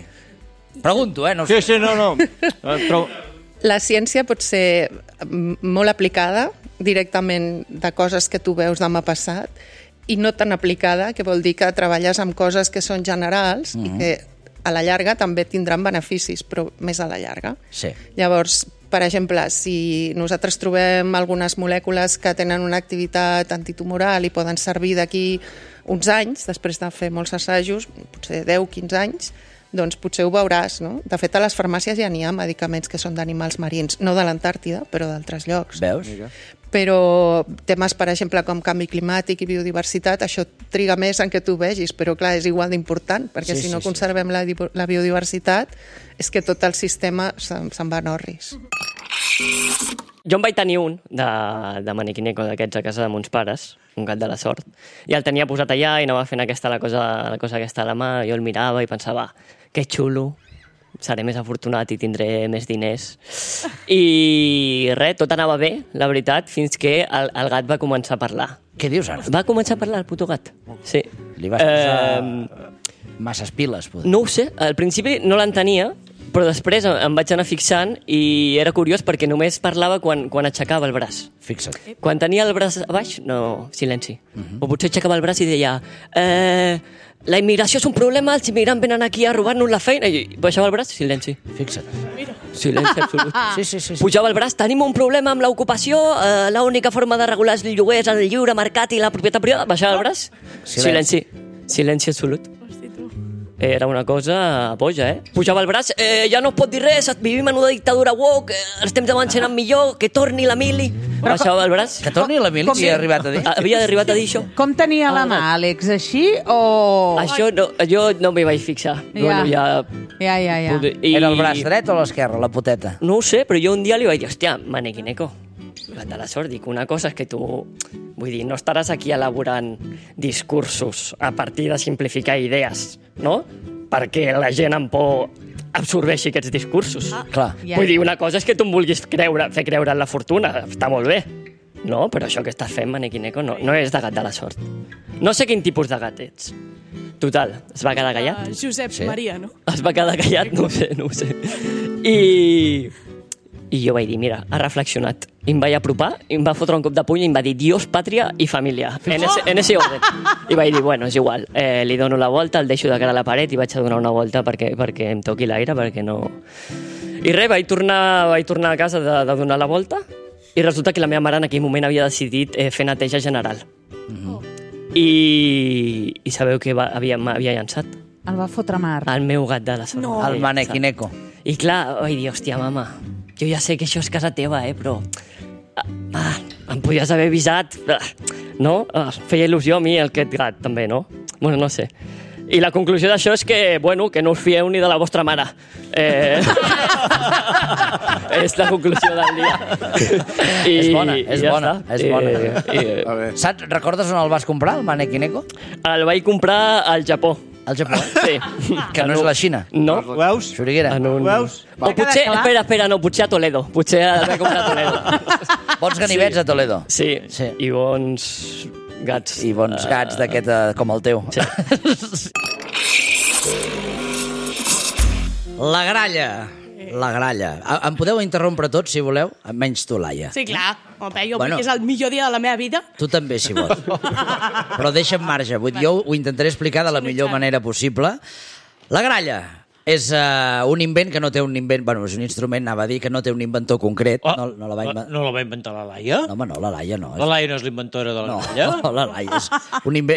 Pregunto, no sé. Sí, no. La ciència pot ser molt aplicada directament de coses que tu veus demà passat i no tan aplicada, que vol dir que treballes amb coses que són generals i que a la llarga també tindran beneficis, però més a la llarga. Sí. Llavors, per exemple, si nosaltres trobem algunes molècules que tenen una activitat antitumoral i poden servir d'aquí uns anys, després de fer molts assajos, potser 10-15 anys, doncs potser ho veuràs, no? De fet, a les farmàcies ja n'hi ha medicaments que són d'animals marins, no de l'Antàrtida, però d'altres llocs. Veus? Però temes, per exemple, com canvi climàtic i biodiversitat, això triga més en què tu vegis, però clar, és igual d'important, perquè si no conservem la biodiversitat, és que tot el sistema se'n va en orris. Jo en vaig tenir un de maniquineco d'aquests a casa de mons pares, un gat de la sort, i el tenia posat allà i anava fent la cosa aquesta a la mà, jo el mirava i pensava, que xulo, seré més afortunat i tindré més diners. I res, tot anava bé, la veritat, fins que el gat va començar a parlar. Què dius ara? Va començar a parlar, el puto gat. Sí. Li vas posar masses piles, potser. No ho sé, al principi no l'entenia, però després em vaig anar fixant i era curiós perquè només parlava quan aixecava el braç. Fixa't. Quan tenia el braç a baix, no, silenci. O potser aixecava el braç i deia la immigració és un problema, els immigrants venen aquí a robar-nos la feina, i baixava el braç, silenci. Fixa't. Silenci absolut. Sí. Pujava el braç, tenim un problema amb l'ocupació, l'única forma de regular els lloguers, el lliure mercat i la propietat privada, baixava el braç, silenci. Silenci absolut. Era una cosa boja, Pujava el braç, ja no es pot dir res, vivim en una dictadura woke, els temps d'abans eren millor, que torni la mili. Baixava el braç. Que torni la mili, havia arribat a dir? Havia arribat a dir això. Com tenia la mà, Àlex, així o...? Això no, jo no m'hi vaig fixar. Ja. Era el braç dret o l'esquerra, la poteta? No ho sé, però jo un dia li vaig dir, hòstia, maniquineco, gat de la sort, dic, una cosa és que tu... Vull dir, no estaràs aquí elaborant discursos a partir de simplificar idees, no? Perquè la gent amb por absorbeixi aquests discursos. Clar. Vull dir, una cosa és que tu em vulguis fer creure en la fortuna, està molt bé. No, però això que estàs fent, maniquineco, no és de gat de la sort. No sé quin tipus de gat ets. Total, es va quedar callat. Josep Maria, no? Es va quedar callat, no ho sé. I jo vaig dir, mira, ha reflexionat. I em vaig apropar, i em va fotre un cop de puny i em va dir Dios, pàtria i família. En ese orden. I vaig dir, bueno, és igual. Li dono la volta, el deixo de cara a la paret i vaig a donar una volta perquè em toqui l'aire, perquè no... I res, vaig tornar a casa de donar la volta i resulta que la meva mare en aquell moment havia decidit fer neteja general. I sabeu què m'havia llançat? El va fotre mar. El meu gat de la sort. No. El maniquineco. I clar, vaig dir, hòstia, mama, jo ja sé que això és casa teva, però... em podies haver avisat, no? Feia il·lusió a mi aquest gat, també, no? Bueno, no sé. I la conclusió d'això és que, bueno, que no us fieu ni de la vostra mare. És la conclusió del dia. És bona. Saps, recordes on el vas comprar, el maniquineco? El vaig comprar al Japó. Al Japó? Sí. Que no és la Xina? No. Veus? Xuriguera. Veus? O potser, espera, no, potser a Toledo. Potser el vaig comprar a Toledo. Bons ganivets a Toledo. Sí, i bons gats. I bons gats d'aquest, com el teu. Sí. La gralla. La gralla. Em podeu interrompre tots, si voleu? Menys tu, Laia. Sí, clar. Jo vull que és el millor dia de la meva vida. Tu també, si vols. Però deixa'm marge. Jo ho intentaré explicar de la millor manera possible. La gralla és un invent que no té un invent... Bueno, és un instrument, anava a dir, que no té un inventor concret. No la va inventar la Laia? No, home, no, la Laia no. La Laia no és l'inventora de la gralla? No, la Laia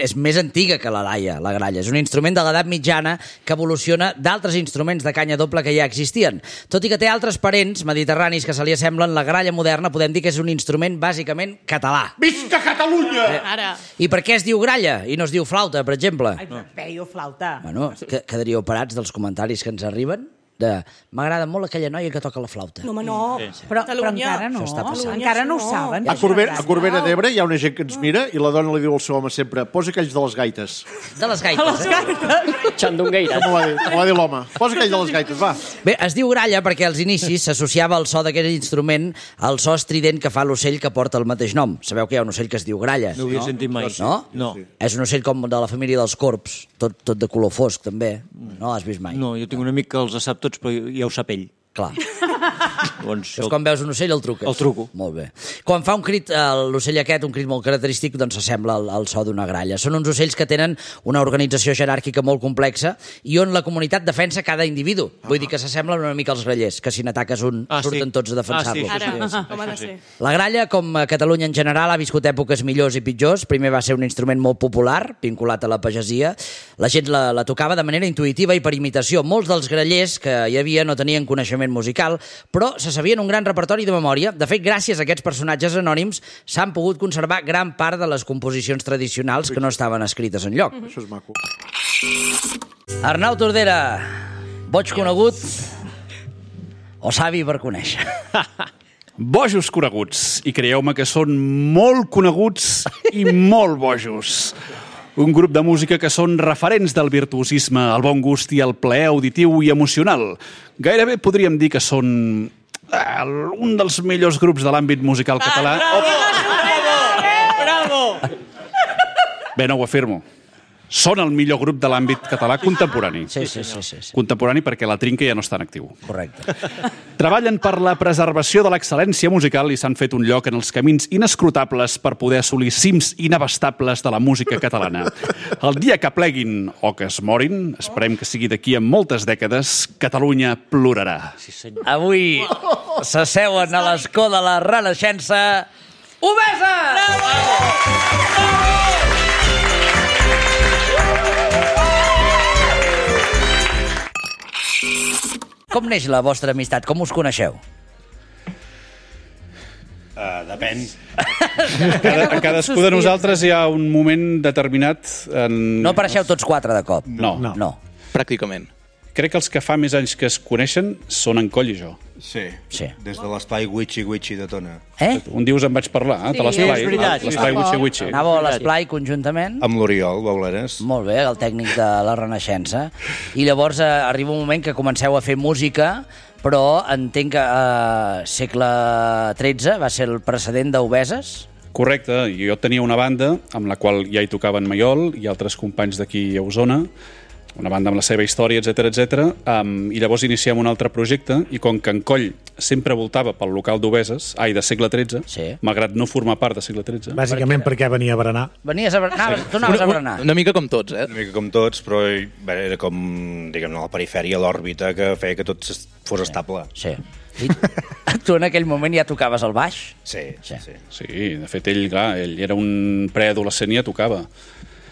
és més antiga que la Laia, la gralla. És un instrument de l'edat mitjana que evoluciona d'altres instruments de canya doble que ja existien. Tot i que té altres parents mediterranis que se li assemblen, la gralla moderna podem dir que és un instrument bàsicament català. Visca Catalunya! Ara. I per què es diu gralla i no es diu flauta, per exemple? Ai, veio flauta. Bueno, quedaríeu parats dels comentaris que ens arriben m'agrada molt aquella noia que toca la flauta. No, home, no. Però encara no. Encara no ho saben. A Corbera d'Ebre hi ha una gent que ens mira i la dona li diu al seu home sempre posa aquells de les gaites. De les gaites, Xandongueires. M'ho va dir l'home. Posa aquells de les gaites, va. Bé, es diu gralla perquè als inicis s'associava el so d'aquest instrument al so estrident que fa l'ocell que porta el mateix nom. Sabeu que hi ha un ocell que es diu gralla? No ho havia sentit mai. No? És un ocell com de la família dels corps, tot de color fosc, també. No l'has vist mai? No, jo tinc un amic que els sap tots, però ja ho sap ell. Clar. Llavors, quan veus un ocell el truques? El truco. Molt bé. Quan fa un crit, l'ocell aquest, un crit molt característic, doncs s'assembla al so d'una gralla. Són uns ocells que tenen una organització jeràrquica molt complexa i on la comunitat defensa cada individu. Vull dir que s'assemblen una mica als grallers, que si n'ataques un surten tots a defensar-lo. Com ha de ser. La gralla, com a Catalunya en general, ha viscut èpoques millors i pitjors. Primer va ser un instrument molt popular, vinculat a la pagesia. La gent la tocava de manera intuïtiva i per imitació. Molts dels grallers que hi havia no tenien coneixement musical, però se sabien un gran repertori de memòria. De fet, gràcies a aquests personatges anònims s'han pogut conservar gran part de les composicions tradicionals que no estaven escrites enlloc. Això és maco. Arnau Tordera, boig conegut o savi per conèixer? Bojos coneguts, i creieu-me que són molt coneguts i molt bojos. Un grup de música que són referents del virtuosisme, el bon gust i el plaer auditiu i emocional. Gairebé podríem dir que són un dels millors grups de l'àmbit musical català. Bravo! Bé, no ho afirmo. Són el millor grup de l'àmbit català contemporani. Sí. Contemporani perquè la Trinca ja no està en actiu. Correcte. Treballen per la preservació de l'excel·lència musical i s'han fet un lloc en els camins inescrutables per poder assolir cims inabastables de la música catalana. El dia que pleguin o que es morin, esperem que sigui d'aquí a moltes dècades, Catalunya plorarà. Avui s'asseuen a l'escó de la Renaixença Obesa! Bravo! Com neix la vostra amistat? Com us coneixeu? Depèn. A cadascú de nosaltres hi ha un moment determinat... No apareixeu tots quatre de cop? No. Pràcticament. Crec que els que fa més anys que es coneixen són en Coll i jo. Sí. Des de l'esplai Witchy de Tona. Un dia us en vaig parlar, de l'esplai. És veritat. L'esplai Witchy. Anàveu a l'esplai conjuntament? Amb l'Oriol, Bauleres. Molt bé, el tècnic de la Renaixença. I llavors arriba un moment que comenceu a fer música, però entenc que segle XIII va ser el precedent d'Obeses? Correcte, jo tenia una banda amb la qual ja hi tocava en Maiol i altres companys d'aquí a Osona, una banda amb la seva història, etc. I llavors iniciem un altre projecte i com que en Coll sempre voltava pel local d'Obeses, de segle XIII, malgrat no formar part de segle XIII. Bàsicament perquè venia a berenar. Venies a berenar, tu anaves a berenar. Una mica com tots, Una mica com tots, però era com, diguem-ne, a la perifèria, l'òrbita, que feia que tot fos estable. Sí. I tu en aquell moment ja tocaves el baix? Sí. Sí, de fet, ell era un preadolescent i ja tocava.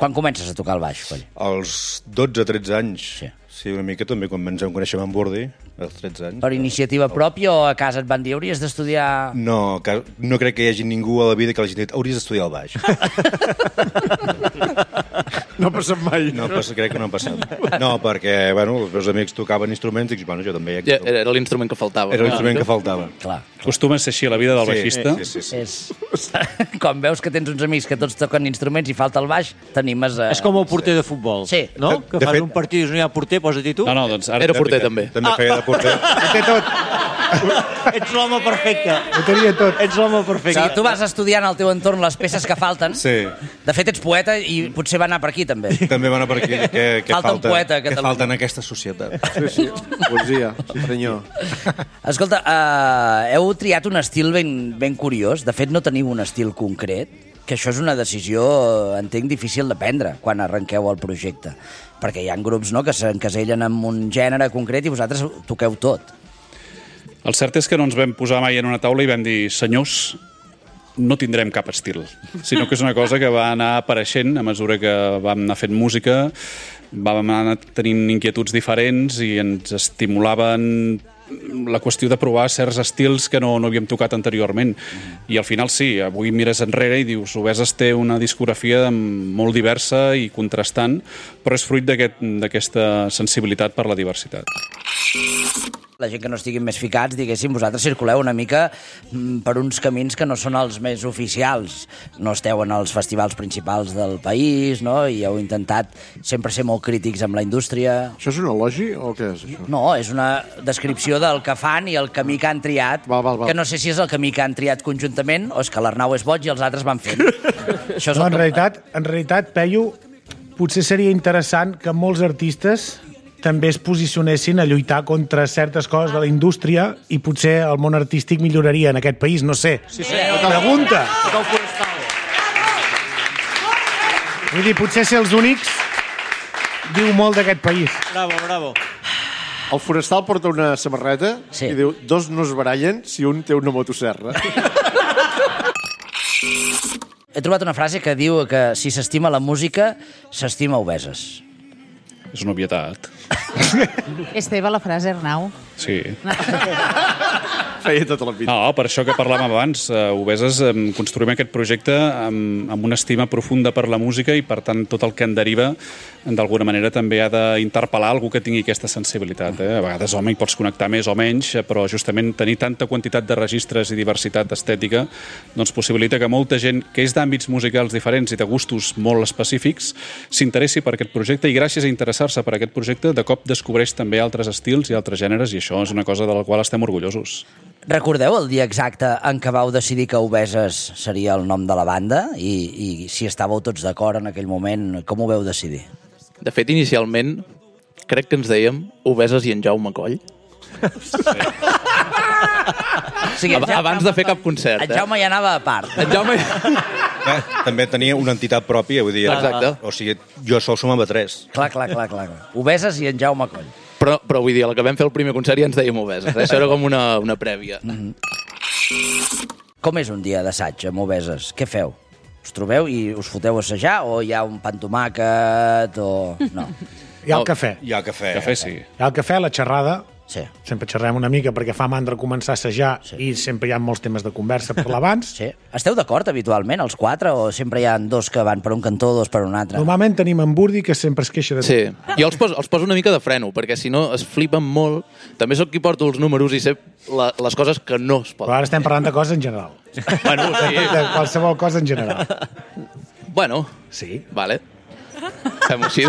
Quan comences a tocar el baix, Coll? Als 12-13 anys. Sí, una mica també, quan ens vam conèixer amb en Bordi, als 13 anys. Per iniciativa pròpia o a casa et van dir hauries d'estudiar... No crec que hi hagi ningú a la vida que l'hagi dit hauries d'estudiar el baix. No ha passat mai. Crec que no ha passat. No, perquè, els meus amics tocaven instruments i dic, jo també... Era l'instrument que faltava. Era l'instrument que faltava. Clar. Acostuma a ser així la vida del baixista. Sí. Quan veus que tens uns amics que tots toquen instruments i falta el baix, t'animes a... És com el porter de futbol, no? Que fan un partit i no hi ha porter, posa-t'hi tu. No, doncs ara... Era porter, també. També feia de porter. Ho té tot. Ets l'home perfecte. Ho tenia tot. Ets l'home perfecte. Sí, tu vas estudiant al teu entorn les peces que falten. Sí. De fet, ets poeta i potser va anar per aquí, també. També va anar per aquí. Falta un poeta a Catalunya. Què falta en aquesta societat? Sí. Poesia, senyor. Escolta, heu triat un estil ben curiós. De fet, no teniu un estil concret. que això és una decisió, entenc, difícil de prendre quan arrenqueu el projecte. Perquè hi ha grups, no?, que s'encasellen en un gènere concret i vosaltres toqueu tot. El cert és que no ens vam posar mai en una taula i vam dir, senyors, no tindrem cap estil, sinó que és una cosa que va anar apareixent a mesura que vam anar fent música, vam anar tenint inquietuds diferents i ens estimulaven la qüestió de provar certs estils que no havíem tocat anteriorment. I al final sí, avui mires enrere i dius Obeses té una discografia molt diversa i contrastant, però és fruit d'aquesta sensibilitat per la diversitat. La gent que no estiguin més ficats, diguéssim, vosaltres circuleu una mica per uns camins que no són els més oficials. No esteu en els festivals principals del país, no? I heu intentat sempre ser molt crítics amb la indústria. Això és un elogi o què és, això? No, és una descripció del que fan i el camí que han triat, que no sé si és el camí que han triat conjuntament o és que l'Arnau és boig i els altres van fent. Això és no, en realitat, Peyu, potser seria interessant que molts artistes també es posicionessin a lluitar contra certes coses de la indústria i potser el món artístic milloraria en aquest país, no sé. Sí, sí. Pregunta. Vull dir, potser ser els únics diu molt d'aquest país. Bravo, bravo. El forestal porta una samarreta i diu, dos no es barallen si un té una motosserra. He trobat una frase que diu que si s'estima la música, s'estima Obeses. És una obvietat. És teva la frase, Arnau? Sí. Feia tota la vida. No, per això que parlàvem abans, Obeses construïm aquest projecte amb una estima profunda per la música i, per tant, tot el que en deriva, d'alguna manera, també ha d'interpel·lar algú que tingui aquesta sensibilitat. A vegades, home, hi pots connectar més o menys, però justament tenir tanta quantitat de registres i diversitat estètica doncs possibilita que molta gent que és d'àmbits musicals diferents i de gustos molt específics s'interessi per aquest projecte i gràcies a interessar-se per aquest projecte de cop descobreix també altres estils i altres gèneres i això és una cosa de la qual estem orgullosos. Recordeu el dia exacte en què vau decidir que Obeses seria el nom de la banda i si estàveu tots d'acord en aquell moment, com ho veu decidir? De fet, inicialment, crec que ens dèiem Obeses i en Jaume Coll. Sí. Abans de fer cap concert. En Jaume ja anava a part. En Jaume... També tenia una entitat pròpia, vull dir... Exacte. O sigui, jo sol sumava 3. Clar. Obeses i en Jaume Coll. Però vull dir, a la que vam fer el primer concert ja ens dèiem Obeses. Això era com una prèvia. Com és un dia d'assaig amb Obeses? Què feu? Us trobeu i us foteu a assajar o hi ha un pa amb tomàquet o... No. Hi ha el cafè. Hi ha el cafè. Cafè, sí. Hi ha el cafè, la xerrada. Sí. Sempre xerrem una mica perquè fa mandra començar a assajar i sempre hi ha molts temes de conversa per l'abans. Sí. Esteu d'acord habitualment, els quatre, o sempre hi ha dos que van per un cantó, dos per un altre? Normalment tenim en Burdi, que sempre es queixa de... Sí. Jo els poso una mica de freno, perquè si no es flipen molt. També sóc qui porto els números i sé les coses que no es poden. Però ara estem parlant de coses en general. Bueno, sí. De qualsevol cosa en general. Bueno, sí. Vale. Fem-ho així.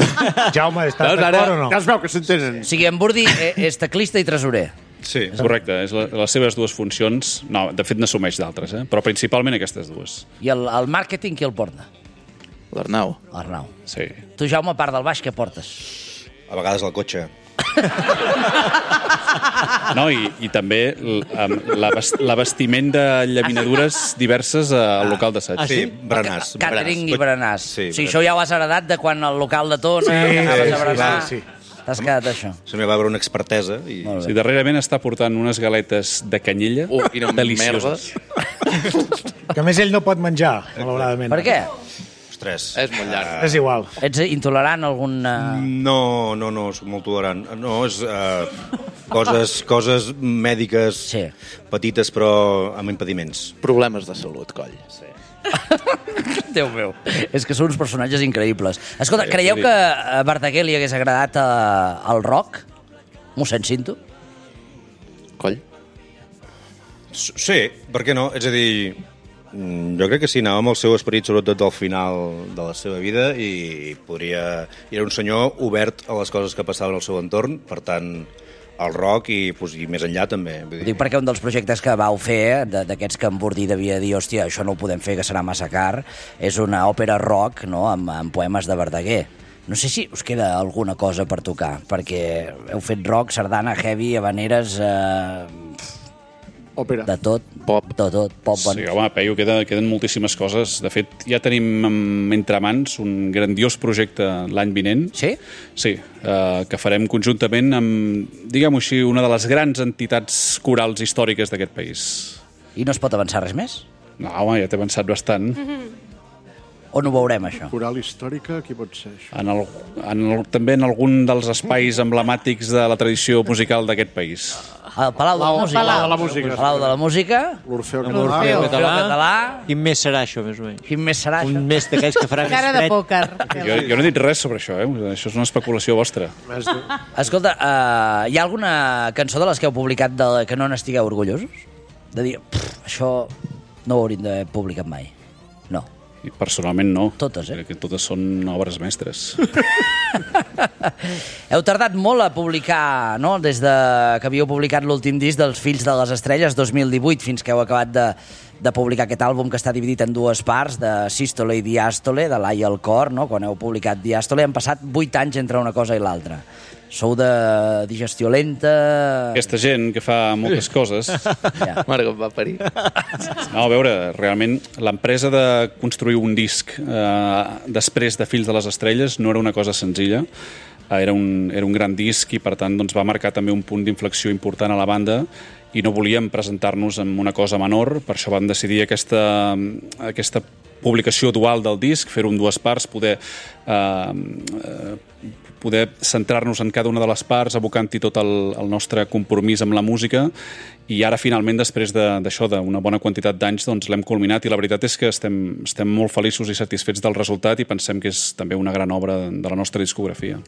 Jaume, estàs d'acord o no? Ja es veu que s'entenen. O sigui, en Burdi és teclista i tresorer. Sí, correcte. És les seves dues funcions. No, de fet n'assumeix d'altres, però principalment aquestes dues. I el màrqueting qui el porta? L'Arnau. L'Arnau. Sí. Tu, Jaume, a part del baix, què portes? A vegades el cotxe. No, i també l'abastiment de llaminadures diverses al local d'assaig. Sí, berenars. Càtering i berenars. Sí, o sigui, això ja ho has heredat de quan el local de Tona anaves a berenar. Sí. T'has quedat això. Se m'hi va veure una expertesa. Sí, darrerament està portant unes galetes de canyella delicioses. Que a més ell no pot menjar, malauradament. Per què? Ostres. És molt llarg. És igual. Ets intolerant a algun... No, soc molt tolerant. No, és coses mèdiques petites però amb impediments. Problemes de salut, Coll. Sí. Déu meu, és que són uns personatges increïbles. Escolta, creieu que a Verdaguer li hagués agradat el rock? Mossèn Cinto? Coll? Sí, per què no? És a dir, jo crec que sí, anava amb el seu esperit, sobretot al final de la seva vida, i era un senyor obert a les coses que passaven al seu entorn, per tant, el rock i més enllà també. Ho dic perquè un dels projectes que vau fer, d'aquests que en Burdi devia dir, hòstia, això no ho podem fer, que serà massa car, és una òpera rock, no?, amb poemes de Verdaguer. No sé si us queda alguna cosa per tocar, perquè heu fet rock, sardana, heavy, habaneres... Òpera. De tot. Pop. De tot. Pop. Sí, home, Peyu, queden moltíssimes coses. De fet, ja tenim entre mans un grandiós projecte l'any vinent. Sí? Sí, que farem conjuntament amb, diguem-ho així, una de les grans entitats corals històriques d'aquest país. I no es pot avançar res més? No, home, ja t'he avançat bastant. On ho veurem, això? Coral històrica, qui pot ser això? També en algun dels espais emblemàtics de la tradició musical d'aquest país. El Palau de la Música. Palau de la Música. Palau de la Música. L'Orfeo Català. Quin mes serà això, més o menys? Quin mes serà això? Un mes d'aquells que farà més Cara de fred. pòquer. Jo no he dit res sobre això, Això és una especulació vostra. Escolta, hi ha alguna cançó de les que heu publicat que no n'estigueu orgullosos? De dir, això no ho hauríem d'haver publicat mai. No. I personalment no. Totes, Crec que totes són obres mestres. Heu tardat molt a publicar, no?, des que havíeu publicat l'últim disc dels Fills de les Estrelles, 2018, fins que heu acabat de publicar aquest àlbum que està dividit en dues parts, de Sístole i Diàstole, de l'Ai al cor, no?, quan heu publicat Diàstole. Han passat 8 anys entre una cosa i l'altra. Sou de digestió lenta... Aquesta gent que fa moltes coses... Ja. Mare que em va parir. No, a veure, realment, l'empresa de construir un disc després de Fills de les Estrelles no era una cosa senzilla. Era un gran disc i, per tant, doncs, va marcar també un punt d'inflexió important a la banda i no volíem presentar-nos amb una cosa menor. Per això vam decidir aquesta publicació dual del disc, fer-ho en dues parts, poder centrar-nos en cada una de les parts, abocant-hi tot el nostre compromís amb la música, i ara finalment, després d'això, d'una bona quantitat d'anys, doncs l'hem culminat, i la veritat és que estem molt feliços i satisfets del resultat i pensem que és també una gran obra de la nostra discografia.